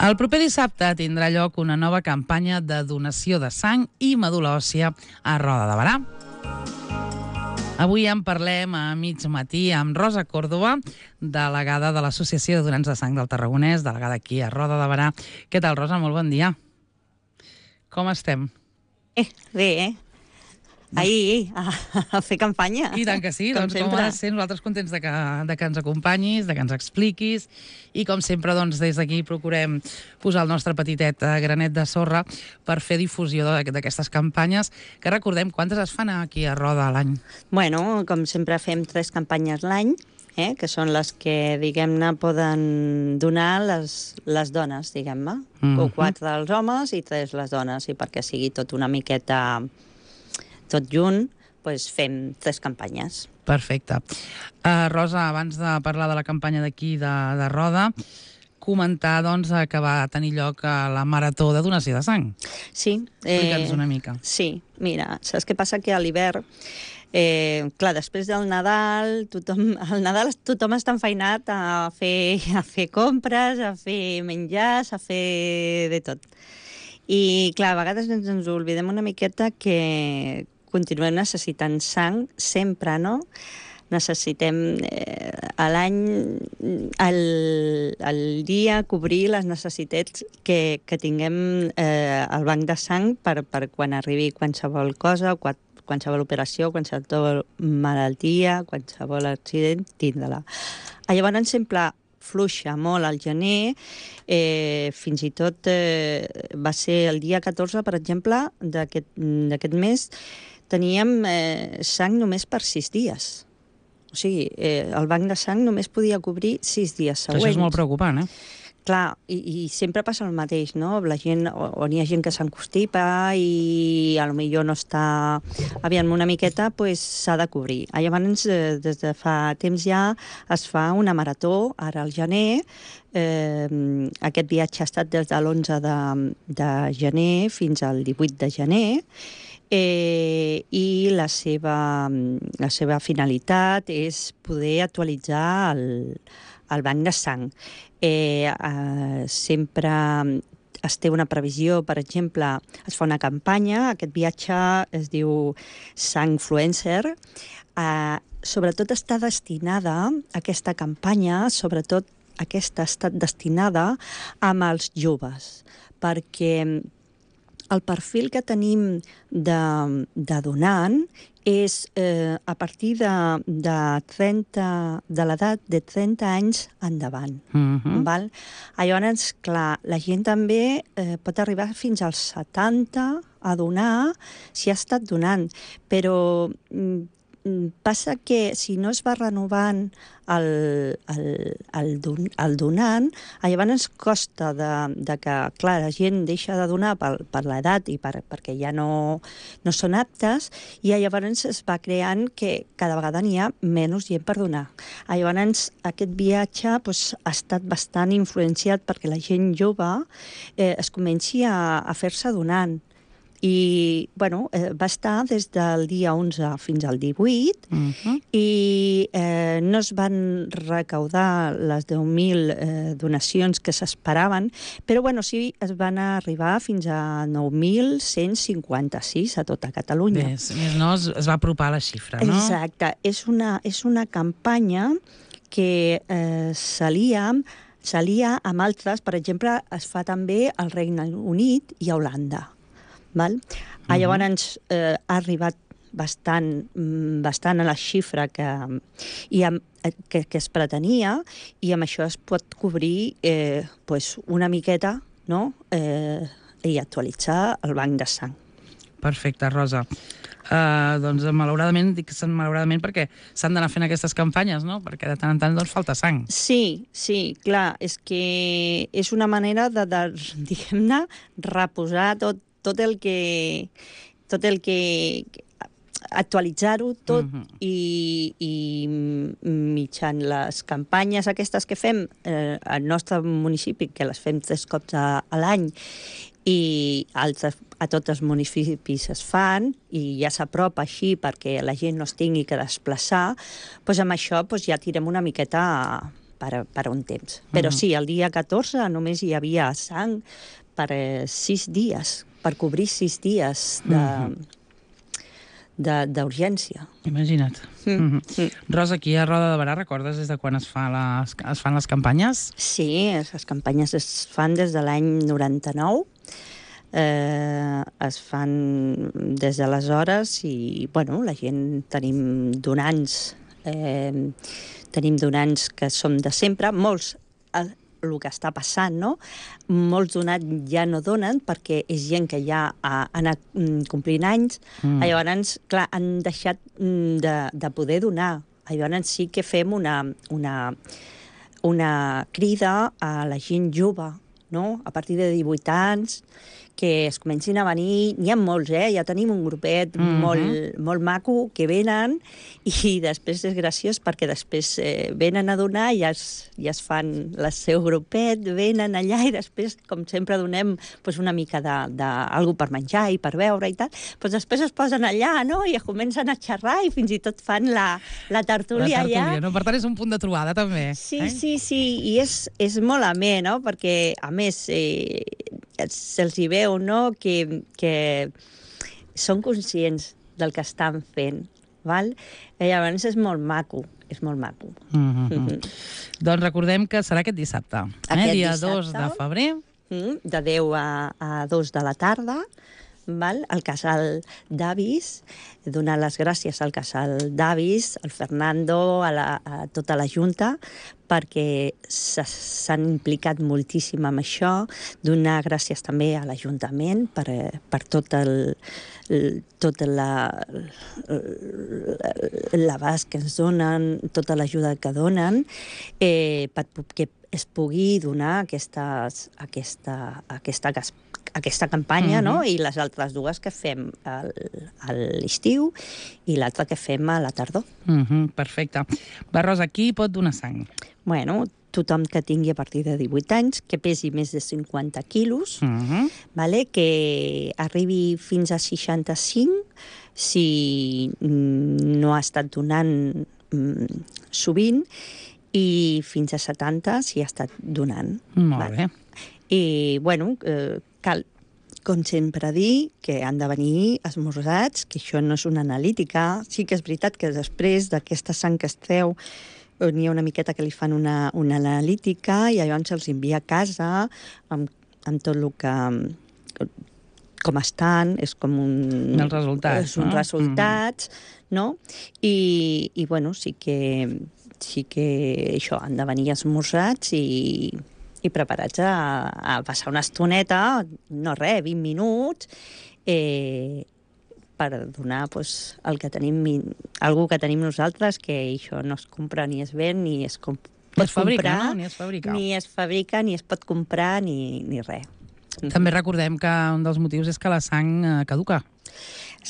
El proper dissabte tindrà lloc una nova campanya de donació de sang i medul·la òssia a Roda de Berà. Avui en parlem a mig matí amb Rosa Córdoba, delegada de l'Associació de Donants de Sang del Tarragonès, delegada aquí a Roda de Berà. Què tal, Rosa? Molt bon dia. Com estem? Bé, ahir a fer campanya. I tant que sí, doncs com ha de ser, nosaltres contents de que ens acompanyis, de que ens expliquis, i com sempre, doncs, des d'aquí procurem posar el nostre petitet granet de sorra per fer difusió d'aquestes campanyes, que recordem, quantes es fan aquí a Roda a l'any? Bueno, com sempre fem 3 campanyes l'any, que són les que, diguem-ne, poden donar les dones, diguem-ne. O 4 els homes i 3 les dones, i perquè sigui tot una miqueta tot junt, doncs fem 3 campanyes. Perfecte. Rosa, abans de parlar de la campanya d'aquí de Roda, comentar doncs, que va tenir lloc la marató de donació de sang. Sí. Explica'ns una mica. Sí, mira, saps què passa? Que a l'hivern, clar, després del Nadal, al Nadal tothom està enfeinat a fer compres, a fer menjars, a fer de tot. I, clar, a vegades ens oblidem una miqueta que continuem necessitant sang sempre, no? Necessitem a l'any, al dia, cobrir les necessitats que tinguem al banc de sang per quan arribi qualsevol cosa, qualsevol operació, qualsevol malaltia, qualsevol accident, tindre-la. Llavors sempre fluixa molt al gener, fins i tot va ser el dia 14, per exemple, d'aquest mes, teníem sang només per 6 dies. O sigui, el banc de sang només podia cobrir 6 dies següents. Això és molt preocupant, Clar, i sempre passa el mateix, no? La gent, on hi ha gent que s'encostipa i potser no està aviam una miqueta, doncs s'ha de cobrir. Llavors, des de fa temps ja es fa una marató, ara al gener. Aquest viatge ha estat des de l'11 de gener fins al 18 de gener, i la seva finalitat és poder actualitzar el banc de sang. Sempre es té una previsió, per exemple, es fa una campanya, aquest viatge es diu Sangfluencer, sobretot està destinada, aquesta campanya, sobretot aquesta ha estat destinada amb els joves, perquè el perfil que tenim de donant és a partir de l'edat de 30 anys endavant. Val? Llavors, clar, la gent també pot arribar fins als 70 a donar si ha estat donant, però passa que si no es va renovant el donant, llavors costa de que, clar, la gent deixa de donar per l'edat i perquè ja no són aptes, i llavors es va creant que cada vegada n'hi ha menys gent per donar. Llavors aquest viatge ha estat bastant influenciat perquè la gent jove es comenci a fer-se donant. I, bueno, va estar des del dia 11 fins al 18, i no es van recaudar les 10.000 donacions que s'esperaven, però, bueno, sí es van arribar fins a 9.156 a tota Catalunya. Bé, més no, es va apropar la xifra, no? Exacte. És una campanya que s'alia amb altres. Per exemple, es fa també al Regne Unit i a Holanda. Val? Llavors ha arribat bastant a la xifra que es pretenia, i amb això es pot cobrir una miqueta, no? I actualitzar el banc de sang. Perfecte, Rosa. Doncs malauradament, dic malauradament perquè s'han d'anar fent aquestes campanyes, no? Perquè de tant en tant doncs falta sang. Sí, clar, és que és una manera de diguem-ne, reposar tot el que actualitzar-ho tot, i mitjan les campanyes aquestes que fem al nostre municipi, que les fem 3 cops a l'any, i a tots els municipis es fan, i ja s'apropa així perquè la gent no es tingui que desplaçar, doncs amb això ja tirem una miqueta per un temps. Però sí, el dia 14 només hi havia sang per 6 dies, per cobrir 6 dies d'urgència. Imagina't. Rosa, aquí a Roda de Barà, recordes des de quan es fan les campanyes? Sí, les campanyes es fan des de l'any 99, es fan des d'aleshores i, bueno, la gent tenim donants que som de sempre, molts el que està passant, no? Molts donats ja no donen perquè és gent que ja ha anat complint anys, llavors, clar, han deixat de poder donar. Llavors sí que fem una crida a la gent jove, no? A partir de 18 anys, que es comencin a venir. N'hi ha molts, ja tenim un grupet molt maco que venen i després és graciós perquè després venen a donar i ja es fan el seu grupet, venen allà i després, com sempre, donem una mica d'algú per menjar i per beure i tal. Després es posen allà, no?, i comencen a xerrar i fins i tot fan la tertúlia allà. No? Per tant, és un punt de trobada, també. Sí, i és molt amè, no?, perquè, a més, se'ls hi veu, no?, que són conscients del que estan fent, val? I llavors és molt maco, és molt maco. Doncs recordem que serà aquest dissabte, dia 2 de febrer. De 10 a 2 de la tarda, val? Al Casal d'Avis, donar les gràcies al Casal d'Avis, al Fernando, a tota la Junta, perquè s'han implicat moltíssim amb això, donar gràcies també a l'Ajuntament per tot l'abast que ens donen, tota l'ajuda que donen, perquè es pugui donar aquesta campanya, no? I les altres dues que fem a l'estiu i l'altra que fem a la tardor. Perfecte. Va, Rosa, qui pot donar sang? Bueno, tothom que tingui a partir de 18 anys, que pesi més de 50 quilos, que arribi fins a 65, si no ha estat donant sovint, i fins a 70 si ha estat donant. Molt bé. I, bueno, cal, com sempre, dir que han de venir esmorzats, que això no és una analítica. Sí que és veritat que després d'aquesta sang que es treu n'hi ha una miqueta que li fan una analítica i llavors se'ls envia a casa amb tot el que... com estan, és com els resultats, és uns resultats, no? I bueno, sí que això, han de venir esmorzats i preparats a passar una estoneta, no res, 20 minuts, per donar el que tenim, algú que tenim nosaltres, que això no es compra ni es ven, ni es pot comprar, ni es fabrica, ni es pot comprar, ni res. També recordem que un dels motius és que la sang caduca.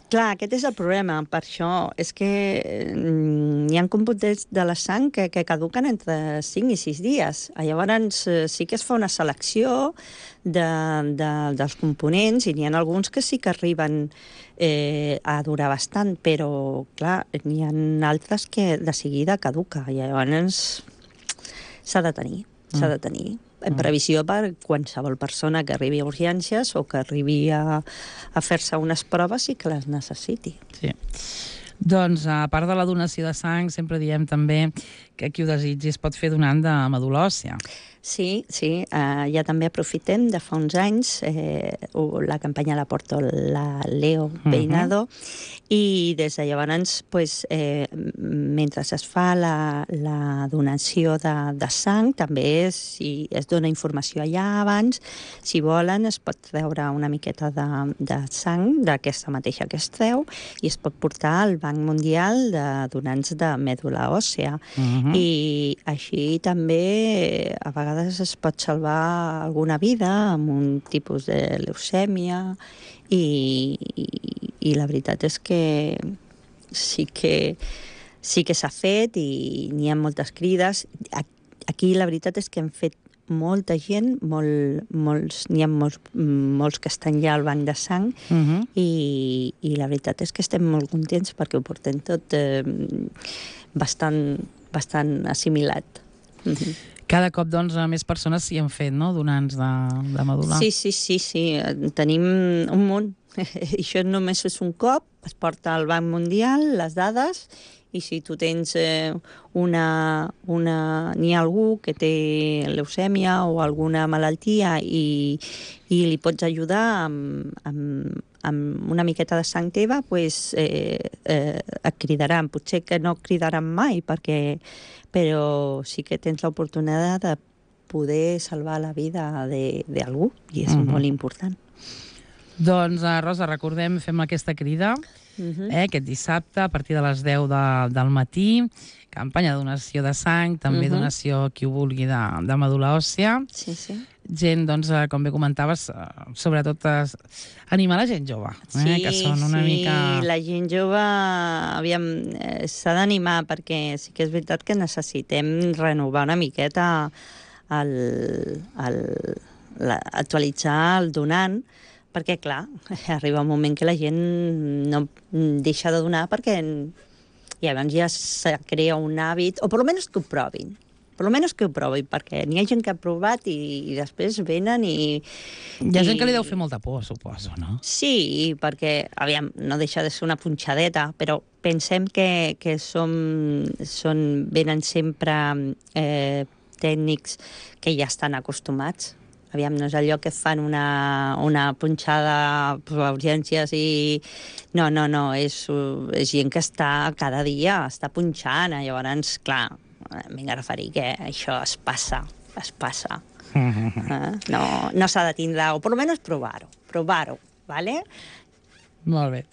Clar, aquest és el problema, per això és que hi ha components de la sang que caduquen entre 5 i 6 dies. Llavors sí que es fa una selecció dels components i n'hi ha alguns que sí que arriben a durar bastant, però clar, n'hi ha altres que de seguida caduca i llavors s'ha de tenir. En previsió per qualsevol persona que arribi a urgències o que arribi a fer-se unes proves i que les necessiti. Sí. Doncs, a part de la donació de sang, sempre diem també que qui ho desitgi es pot fer donant de medul·la òssia. Sí, ja també aprofitem de fa uns anys, la campanya la porta la Leo Peinado, i des de llavors, mentre es fa la donació de sang, també es dona informació allà abans. Si volen, es pot treure una miqueta de sang d'aquesta mateixa que es treu i es pot portar al Banc Mundial de Donants de Mèdula Òssea. I així també, a vegades, es pot salvar alguna vida amb un tipus de leucèmia i la veritat és que sí que s'ha fet i n'hi ha moltes crides. Aquí la veritat és que hem fet molta gent, n'hi ha molts que estan ja al banc de sang i la veritat és que estem molt contents perquè ho portem tot bastant assimilat. Cada cop, doncs, més persones s'hi han fet, no?, donants de medul·la. Sí. Tenim un munt. Això només és un cop, es porta al Banc Mundial les dades, i si tu tens n'hi ha algú que té leucèmia o alguna malaltia i li pots ajudar amb una miqueta de sang teva, doncs et cridaran. Potser que no cridaran mai, però sí que tens l'oportunitat de poder salvar la vida d'algú, i és molt important. Doncs, Rosa, recordem, fem aquesta crida aquest dissabte a partir de les 10 del matí, campanya de donació de sang, també donació, qui ho vulgui, de medul·la òssia. Sí. Gent, doncs, com bé comentaves, sobretot animar la gent jove, que són una mica... Sí, la gent jove, aviam, s'ha d'animar, perquè sí que és veritat que necessitem renovar una miqueta, actualitzar el donant, perquè, clar, arriba un moment que la gent no deixa de donar perquè llavors ja se crea un hàbit, o per almenys que ho provin. Per almenys que ho provin, perquè n'hi ha gent que ha provat i després venen i... Hi ha gent que li deu fer molta por, suposo, no? Sí, perquè, aviam, no deixa de ser una punxadeta, però pensem que venen sempre tècnics que ja estan acostumats. Aviam, no és allò que fan una punxada a urgències i... No, és gent que està cada dia, està punxant, llavors, clar, m'he de referir que això es passa. No s'ha de tindre, o per almenys provar-ho, ¿vale? Molt bé.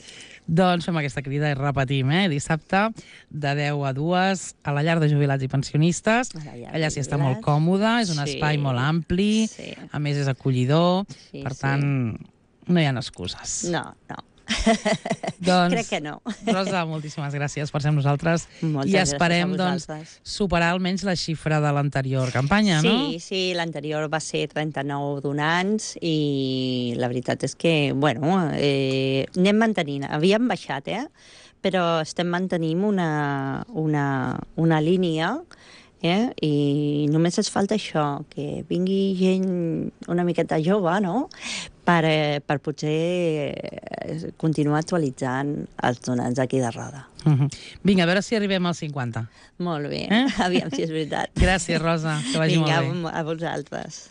Doncs fem aquesta crida i repetim, dissabte de 10 a 2 a la llar de jubilats i pensionistes. Allà s'hi està molt còmode, és un espai molt ampli, a més és acollidor, per tant, no hi ha excuses. No. Doncs, crec que no. Rosa, moltíssimes gràcies per ser amb nosaltres i esperem superar almenys la xifra de l'anterior campanya, no? Sí, l'anterior va ser 39 donants i la veritat és que, anem mantenint. Havíem baixat, però estem mantenint una línia i només ens falta això, que vingui gent una miqueta jove, no?, per potser continuar actualitzant els donants d'aquí de Roda. Vinga, a veure si arribem als 50. Molt bé, aviam si és veritat. Gràcies, Rosa, que vagi molt bé. Vinga, a vosaltres.